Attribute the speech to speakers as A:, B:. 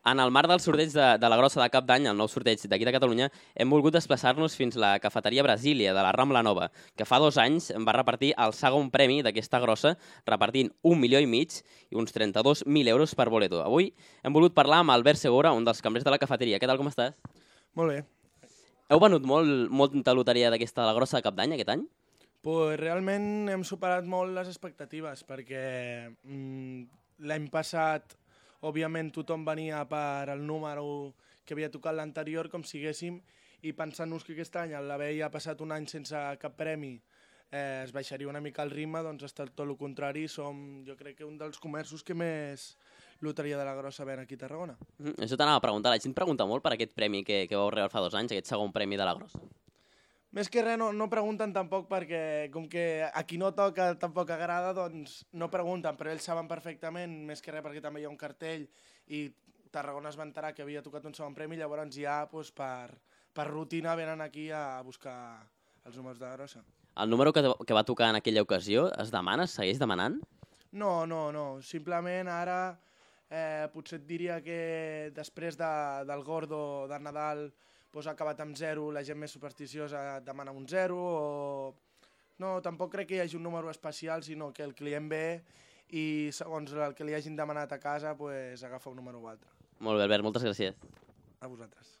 A: En el marc del sorteig de la Grossa de Cap d'Any, el nou sorteig d'aquí de Catalunya, hem volgut desplaçar-nos fins a la cafeteria Brasília de la Rambla Nova, que fa 2 anys va repartir el segon premi d'aquesta grossa, repartint 1,5 milions i uns 32.000 euros per boleto. Avui hem volgut parlar amb Albert Segura, un dels cambrers de la cafeteria. Què tal, com estàs?
B: Molt bé.
A: Heu venut molta loteria d'aquesta de la Grossa de Cap d'Any aquest any?
B: Pues realment hem superat molt les expectatives perquè l'any passat, òbviament, tothom venia per el número que havia tocat l'anterior, com si haguéssim, i pensant-nos que aquest any, al haver ja passat un any sense cap premi, es baixaria una mica el ritme, doncs ha estat tot el contrari. Som, jo crec que un dels comerços que més loteria de la Grossa ven aquí a Tarragona.
A: Això t'anava a preguntar. La gent pregunta molt per aquest premi que vau rebre fa 2 anys, aquest segon premi de la Grossa.
B: Més que res no pregunten tampoc perquè com que a qui no toca tampoc agrada, doncs no pregunten, però ells saben perfectament, més que res perquè també hi ha un cartell i Tarragona es va enterar que havia tocat un segon premi, llavors ja doncs, per rutina venen aquí a buscar els números de la Grossa.
A: El número que va tocar en aquella ocasió es demana, es segueix demanant?
B: No. Simplement ara potser et diria que després del Gordo de Nadal ha acabat amb 0, la gent més supersticiosa demana un 0 o... No, tampoc crec que hi hagi un número especial, sinó que el client ve i segons el que li hagin demanat a casa agafa un número o altre.
A: Molt bé, Albert, moltes gràcies.
B: A vosaltres.